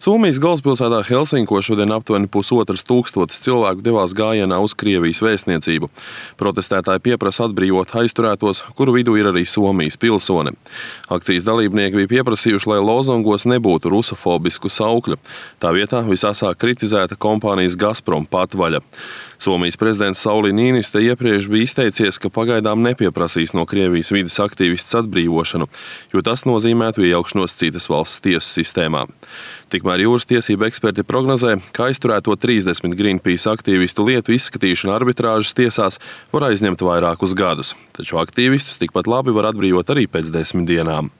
Somijas galvaspilsētā Helsinko šodien aptuveni 1500 cilvēku devās gājienā uz Krievijas vēstniecību. Protestētāji pieprasa atbrīvot aizturētos, kuru vidū ir arī Somijas pilsone. Akcijas dalībnieki bija pieprasījuši, lai lozungos nebūtu rusofobisku saukļu. Tā vietā visasāk kritizēta kompānijas Gazprom patvaļa. Somijas prezidents Sauli Niinistö iepriekš bija izteicies, ka pagaidām nepieprasīs no Krievijas vides aktīvistes atbrīvošanu, jo tas nozīmētu iejaukšanos citas valsts tiesu sistēmā. Tikmēr jūras tiesību eksperti prognozē, ka aizturēto 30 Greenpeace aktīvistu lietu izskatīšana arbitrāžas tiesās var aizņemt vairākus gadus, taču aktīvistus tikpat labi var atbrīvot arī pēc 10 dienām.